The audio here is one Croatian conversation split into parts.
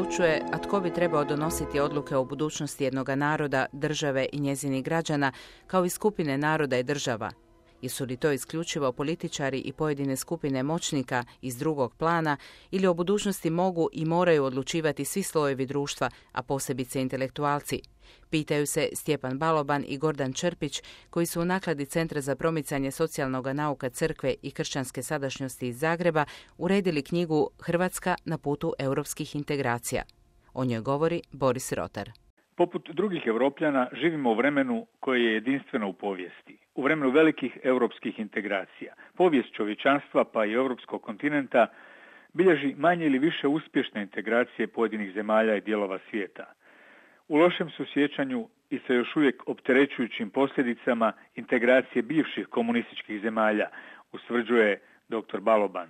odlučuje, a tko bi trebao donositi odluke o budućnosti jednoga naroda, države i njezinih građana, kao i skupine naroda i država? Jesu li to isključivo političari i pojedine skupine moćnika iz drugog plana ili o budućnosti mogu i moraju odlučivati svi slojevi društva, a posebice intelektualci? Pitaju se Stjepan Baloban i Gordan Črpić, koji su u nakladi Centra za promicanje socijalnog nauka crkve i kršćanske sadašnjosti iz Zagreba uredili knjigu Hrvatska na putu europskih integracija. O njoj govori Boris Rotar. Poput drugih Europljana živimo u vremenu koje je jedinstveno u povijesti. U vremenu velikih europskih integracija. Povijest čovječanstva pa i europskog kontinenta bilježi manje ili više uspješne integracije pojedinih zemalja i dijelova svijeta. U lošem su sjećanju i sa još uvijek opterećujućim posljedicama integracije bivših komunističkih zemalja, ustvrđuje dr. Baloban.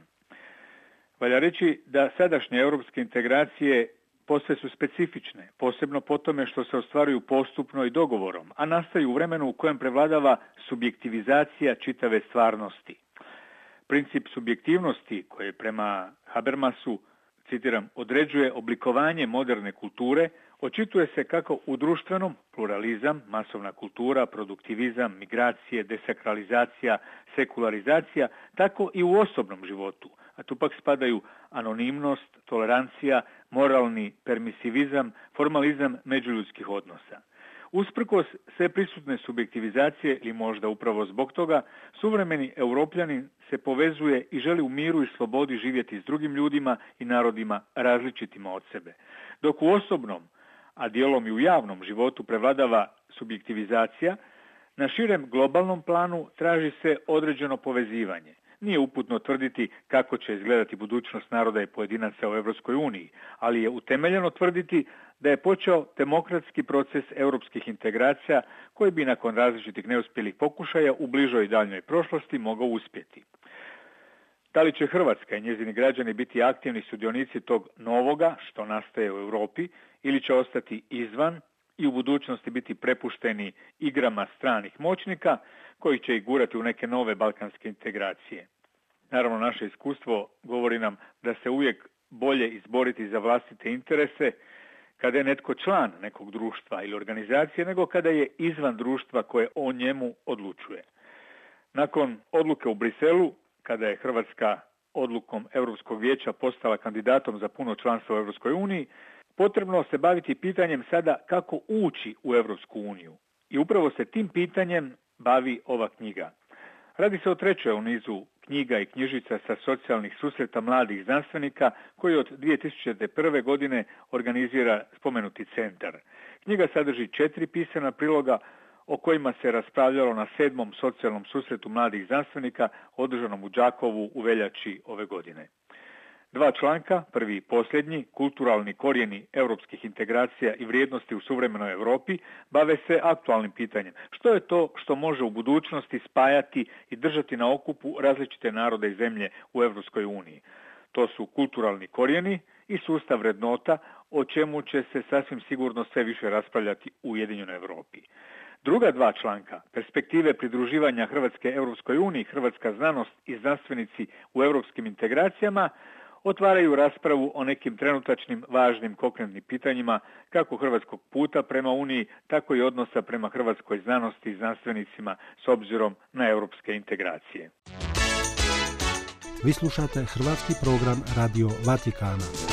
Valja reći da sadašnje europske integracije posve su specifične, posebno po tome što se ostvaruju postupno i dogovorom, a nastaju u vremenu u kojem prevladava subjektivizacija čitave stvarnosti. Princip subjektivnosti koji prema Habermasu, citiram, određuje oblikovanje moderne kulture, očituje se kako u društvenom pluralizam, masovna kultura, produktivizam, migracije, desakralizacija, sekularizacija, tako i u osobnom životu, a tu pak spadaju anonimnost, tolerancija, moralni permisivizam, formalizam međuljudskih odnosa. Usprkos sve prisutne subjektivizacije ili možda upravo zbog toga, suvremeni Europljanin se povezuje i želi u miru i slobodi živjeti s drugim ljudima i narodima različitima od sebe. Dok u osobnom, a dijelom i u javnom životu prevladava subjektivizacija, na širem globalnom planu traži se određeno povezivanje. Nije uputno tvrditi kako će izgledati budućnost naroda i pojedinaca u Europskoj uniji, ali je utemeljeno tvrditi da je počeo demokratski proces europskih integracija koji bi nakon različitih neuspjelih pokušaja u bližoj i daljnjoj prošlosti mogao uspjeti. Da li će Hrvatska i njezini građani biti aktivni sudionici tog novoga što nastaje u Europi ili će ostati izvan i u budućnosti biti prepušteni igrama stranih moćnika koji će ih gurati u neke nove balkanske integracije. Naravno, naše iskustvo govori nam da se uvijek bolje izboriti za vlastite interese kada je netko član nekog društva ili organizacije nego kada je izvan društva koje o njemu odlučuje. Nakon odluke u Briselu, kada je Hrvatska odlukom Europskog vijeća postala kandidatom za puno članstvo u Europskoj uniji, potrebno se baviti pitanjem sada kako ući u Europsku uniju. I upravo se tim pitanjem bavi ova knjiga. Radi se o trećoj u nizu knjiga i knjižica sa socijalnih susreta mladih znanstvenika koji od 2001. godine organizira spomenuti centar. Knjiga sadrži 4 pisana priloga o kojima se raspravljalo na 7. socijalnom susretu mladih znanstvenika održanom u Đakovu u veljači ove godine. 2 članka, prvi i posljednji, kulturalni korijeni europskih integracija i vrijednosti u suvremenoj Europi, bave se aktualnim pitanjem. Što je to što može u budućnosti spajati i držati na okupu različite narode i zemlje u Europskoj uniji? To su kulturalni korijeni i sustav vrednota, o čemu će se sasvim sigurno sve više raspravljati u Ujedinjenoj Europi. Druga 2 članka, perspektive pridruživanja Hrvatske Europskoj uniji, hrvatska znanost i znanstvenici u europskim integracijama, otvaraju raspravu o nekim trenutačnim važnim konkretnim pitanjima kako hrvatskog puta prema Uniji, tako i odnosa prema hrvatskoj znanosti i znanstvenicima s obzirom na europske integracije. Vi slušate hrvatski program Radio Vatikana.